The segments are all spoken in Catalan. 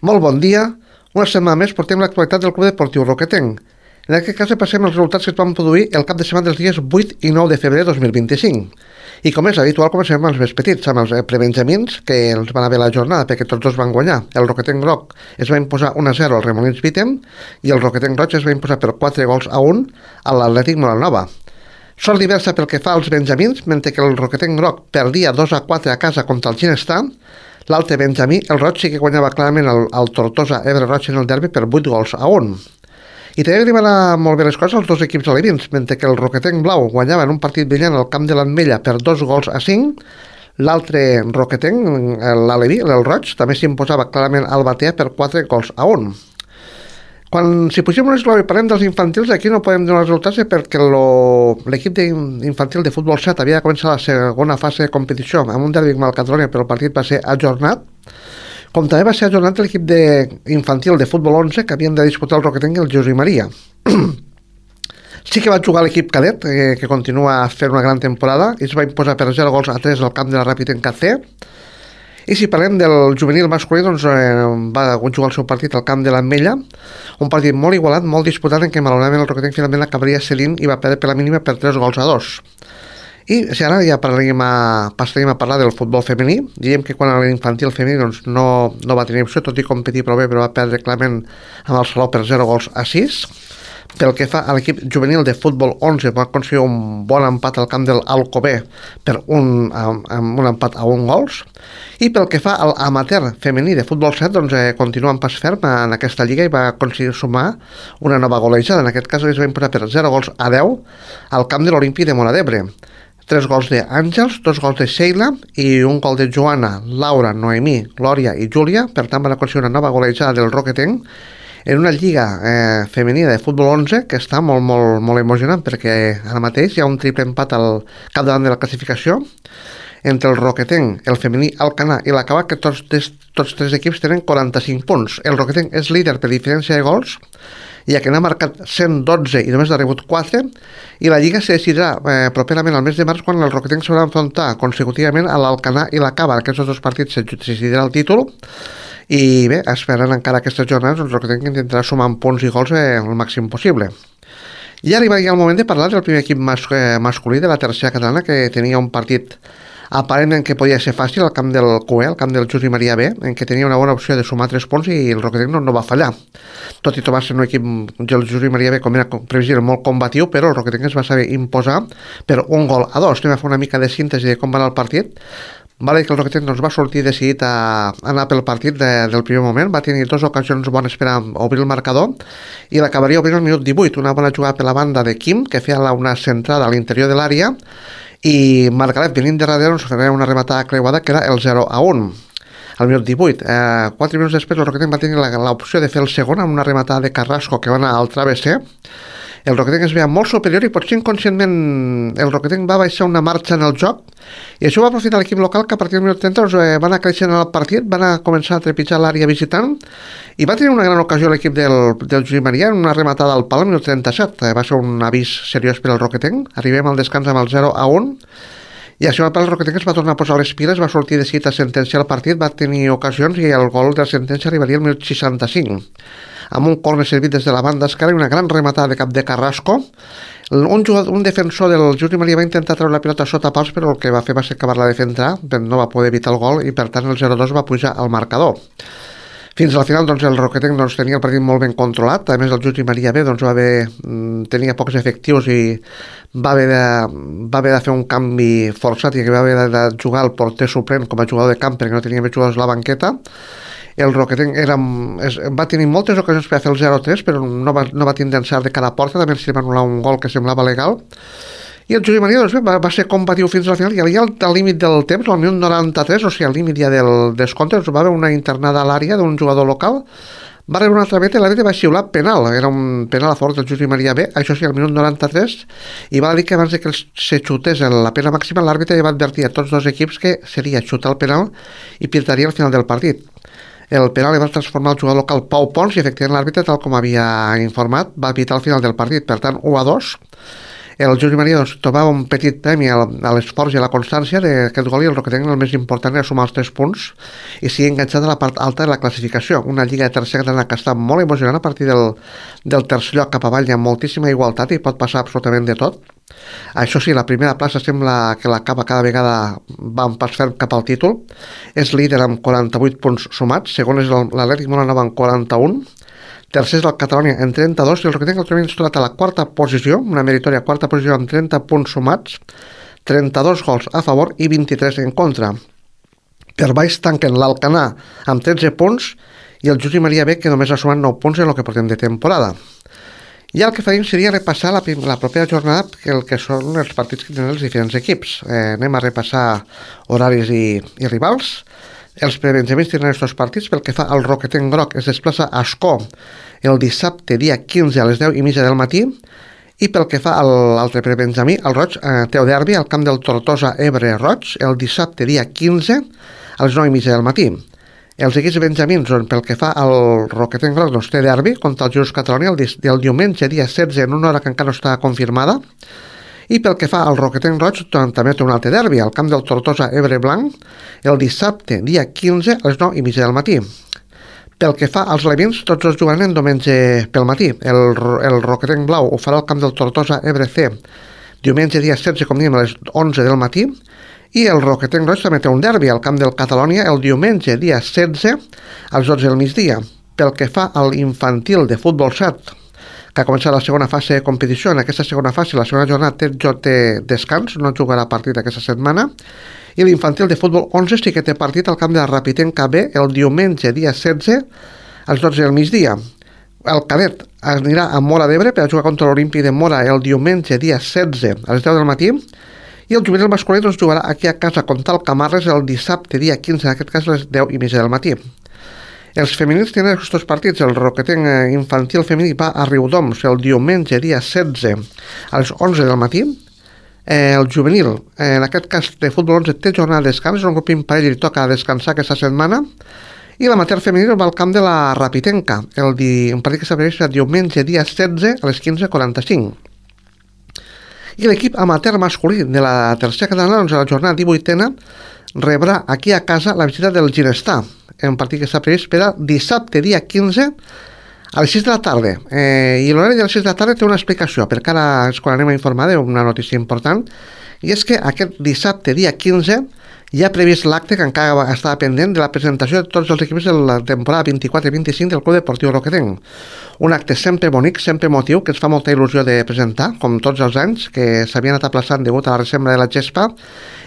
Molt bon dia. Una setmana més portem l'actualitat del Club Deportiu Roquetenc. En aquest cas passem als resultats que es van produir el cap de setmana dels dies 8 i 9 de febrer de 2025. I com és habitual, comencem amb els més petits, amb els prebenjamins, que els van haver la jornada perquè tots dos van guanyar. El Roquetenc Groc es va imposar 1-0 al Remolins Vitem i el Roquetenc Roig es va imposar per 4-1 a l'Atlètic Molanova. Sort diversa pel que fa als benjamins, mentre que el Roquetenc Groc perdia 2-4 a casa contra el Ginestar. L'altre benjamí, el Roig, sí que guanyava clarament el Tortosa Ebre Roig en el derbi per 8-1. I també li van anar molt bé les coses als dos equips alevins, mentre que el Roquetenc Blau guanyava en un partit brillant al camp de l'Ametlla per 2-5, l'altre Roquetenc, l'aleví, el Roig, també s'imposava clarament al Batea per 4-1. Quan si pugem un esglaó i parlem dels infantils, aquí no podem donar resultats perquè l'equip infantil de futbol 7 havia de començar la segona fase de competició amb un derbi amb el Catalunya, però el partit va ser ajornat. Com també va ser ajornat l'equip infantil de futbol 11 que havien de disputar el Roquetenc i el Josep Maria. Sí que va jugar l'equip cadet, que continua fent una gran temporada, i es va imposar per 0-3 al camp de la Ràpid en KC. I si parlem del juvenil masculí, doncs va jugar el seu partit al camp de l'Ametlla, un partit molt igualat, molt disputat, en què malauradament el Roquetenc finalment acabaria cedint i va perdre per la mínima per 3-2. I si ara ja passaríem a parlar del futbol femení, diríem que quan a l'infantil femení doncs, no va tenir opció, tot i competir prou bé, però va perdre clarament amb el Salou per 0-6. Pel que fa a l'equip juvenil de futbol 11, va aconseguir un bon empat al camp del Alcobé per un empat a 1-1. I pel que fa a l'amateur femení de futbol 7, doncs continua en pas ferm en aquesta lliga i va aconseguir sumar una nova golejada. En aquest cas es va imposar per 0-10 al camp de l'Olímpic de Móra d'Ebre. 3 gols d'Àngels, 2 gols de Sheila i un gol de Joana, Laura, Noemí, Glòria i Júlia. Per tant, van aconseguir una nova golejada del Roquetenc en una lliga femenina de futbol 11 que està molt, molt, molt emocionant, perquè ara mateix hi ha un triple empat al capdavant de la classificació entre el Roquetenc, el femení Alcanar i l'Acabà, que tots tres equips tenen 45 punts. El Roquetenc és líder per diferència de gols, ja que n'ha marcat 112 i només n'ha rebut 4, i la Lliga se decidirà properament al mes de març, quan el Roquetenc s'haurà d'enfrontar consecutivament a l'Alcanar i l'Acabà. Aquests dos partits se decidirà el títol, i bé, esperant encara aquestes jornades, el Roquetenc intentarà sumar punts i gols el màxim possible. I ara arriba el moment de parlar del primer equip masculí de la tercera catalana, que tenia un partit aparentment que podia ser fàcil al camp del CUE, al camp del Josep Maria B, en què tenia una bona opció de sumar 3 punts i el Roquetenc no va fallar. Tot i trobar-se un equip del Josep Maria B, com era previsible, molt combatiu, però el Roquetenc es va saber imposar per 1-2. Anem a fer una mica de síntesi de com va anar el partit. Vale, que el Roquetenc doncs, va sortir decidit a anar pel partit del primer moment, va tenir 2 ocasions bones per a obrir el marcador i l'acabaria obrint al minut 18, una bona jugada per la banda de Quim, que feia una centrada a l'interior de l'àrea, i Margaret venint de darrere ens feia una rematada creuada que era el 0-1 al minut 18. 4 minuts després el Roquetenc va tenir l'opció de fer el segon amb una rematada de Carrasco que va anar al travesser. El Roquetenc es veia molt superior i potser inconscientment el Roquetenc va baixar una marxa en el joc, i això va aprofitar l'equip local, que a partir del minut 30 va anar creixent el partit, va anar a començar a trepitjar l'àrea visitant i va tenir una gran ocasió l'equip del Josep Maria en una rematada al pal al minut 37. Va ser un avís seriós per al Roquetenc. Arribem al descans amb el 0-1 i així el Roquetenc es va tornar a posar les piles, va sortir decidit a sentenciar el partit, va tenir ocasions i el gol de la sentència arribaria al minut 65 amb un córner servit des de la banda esquerra i una gran rematada de cap de Carrasco. Un defensor del Josep Maria va intentar treure la pilota sota pals, però el que va fer va ser acabar-la de defensar, no va poder evitar el gol i per tant el 0-2 va pujar al marcador. Fins al final doncs, el Roquetenc tenia el partit molt ben controlat. A més, el Josep Maria B tenia pocs efectius i va haver de fer un canvi forçat i va haver de jugar el porter suplent com a jugador de camp perquè no tenia més jugadors a la banqueta. El Roquetenc va tenir moltes ocasions per fer el 0-3, però no va tindre encert de cada porta. També s'hi va anul·lar un gol que semblava legal. I el Josep Maria va ser combatiu fins al final, i al límit del temps, al minut 93, o sigui, al límit ja del descompte, va haver una internada a l'àrea d'un jugador local, va rebre una altra veta i l'àrbitre va xiular penal. Era un penal a favor del Josep Maria B, això sí, al minut 93, i va dir que abans que se xutés la pena màxima, l'àrbitre ja va advertir a tots dos equips que seria xutar el penal i pirtaria al final del partit. El penal li va transformar el jugador local Pau Pons i efectivament l'àrbitre, tal com havia informat, va evitar el final del partit. Per tant, 1-2. El Josep Maria trobava un petit premi a l'esforç i a la constància d'aquest gol, i el Roquetenc el més important era sumar els 3 punts i sigui enganxat a la part alta de la classificació. Una lliga de tercera catalana que està molt emocionant a partir del tercer lloc cap avall. Hi ha moltíssima igualtat i pot passar absolutament de tot. Això sí, la primera plaça sembla que l'acaba cada vegada va un pas ferm cap al títol. És líder amb 48 punts sumats, segon és l'Atlètic Molanova amb 41, tercer és el Catalonia en 32 i el Roquetenc el trobem situat a la quarta posició, una meritòria quarta posició amb 30 punts sumats, 32 gols a favor i 23 en contra. Per baix tanquen l'Alcanar amb 13 punts i el Josep Maria B, que només ha sumat 9 punts en el que portem de temporada. I el que farem seria repassar la propera jornada, el que són els partits que tenen els diferents equips. Anem a repassar horaris i rivals. Els prebenjamins tenen aquests partits. Pel que fa al Roquetenc groc, es desplaça a Ascó el dissabte dia 15 a les 10:30 del matí, i pel que fa a l'altre prebenjamí, el roig, té derbi al camp del Tortosa Ebre Roig el dissabte dia 15 a les 9:30 del matí. Els equips benjamins, pel que fa al Roquetenc groc, doncs té derbi contra el Jus Catalonia el diumenge dia 16 en una hora que encara no està confirmada. I pel que fa al Roquetenc roig, també té un altre derbi al camp del Tortosa Ebre Blanc el dissabte dia 15 a les 9:30 del matí. Pel que fa als levins, tots els jugaran diumenge pel matí. El Roquetenc blau ho farà al camp del Tortosa Ebre C diumenge dia 16, com diem, a les 11 del matí. I el Roquetenc roig també té un derbi al camp del Catalonia el diumenge dia 16 a les 12 del migdia. Pel que fa al infantil de futbol 7, que ha començat la segona fase de competició, en aquesta segona fase, la segona jornada té descans, no jugarà partit aquesta setmana, i l'infantil de futbol 11 sí que té partit al camp de la Rapitenca B el diumenge dia 16 a les 12 del migdia. El cadet anirà a Móra d'Ebre per a jugar contra l'Olímpic de Móra el diumenge dia 16 a les 10 del matí, i el juvenil masculí doncs jugarà aquí a casa contra el Camarles el dissabte dia 15, en aquest cas a les 10:30 del matí. Els femenins tenen aquests partits. El Roquetenc infantil femení va a Riudoms el diumenge dia 16 a les 11 del matí. El juvenil, en aquest cas de futbol 11, té jornada de descans, és un grup imparell i li toca descansar aquesta setmana. I l'amateur femení va al camp de la Rapitenca, un partit que s'abreix el diumenge dia 16 a les 15:45. I l'equip amateur masculí de la tercera catalana, doncs a la jornada 18a, rebrà aquí a casa la visita del Ginestar, un partit que està previst per a dissabte dia 15 a les 6 de la tarda. I l'horari de les 6 de la tarda té una explicació, perquè ara és quan anem a informar d'una notícia important, i és que aquest dissabte dia 15 hi ha previst l'acte que encara estava pendent de la presentació de tots els equips de la temporada 24-25 del Club Deportiu Roquetenc. Un acte sempre bonic, sempre emotiu, que ens fa molta il·lusió de presentar, com tots els anys, que s'havien anat aplaçant degut a la resembra de la gespa,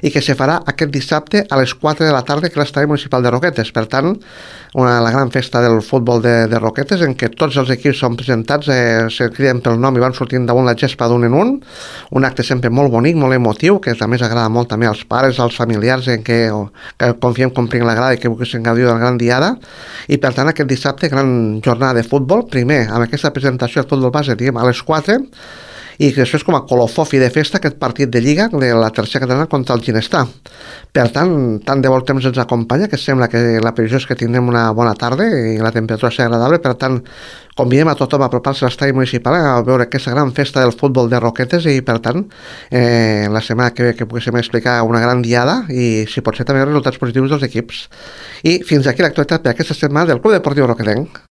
i que se farà aquest dissabte a les 4 de la tarda, que és l'estadi municipal de Roquetes. Per tant, la gran festa del futbol de Roquetes, en què tots els equips són presentats, se criden pel nom i van sortint damunt la gespa d'un en un acte sempre molt bonic, molt emotiu, que a més agrada molt també als pares, als familiars, en que confiem que omplin la grada i que vulguin gaudir de la gran diada. I per tant aquest dissabte gran jornada de futbol, primer amb aquesta presentació del futbol base, diguem, a les 4, i que després com a colofó fi de festa aquest partit de Lliga de la tercera catalana contra el Ginestar. Per tant de bon temps ens acompanya, que sembla que la previsió és que tindrem una bona tarda i la temperatura serà agradable. Per tant, convidem a tothom a apropar-se a l'estadi municipal a veure aquesta gran festa del futbol de Roquetes, i per tant la setmana que ve que poguéssim explicar una gran diada i si pot ser també resultats positius dels equips. I fins aquí l'actualitat per aquesta setmana del Club Deportiu Roquetenc.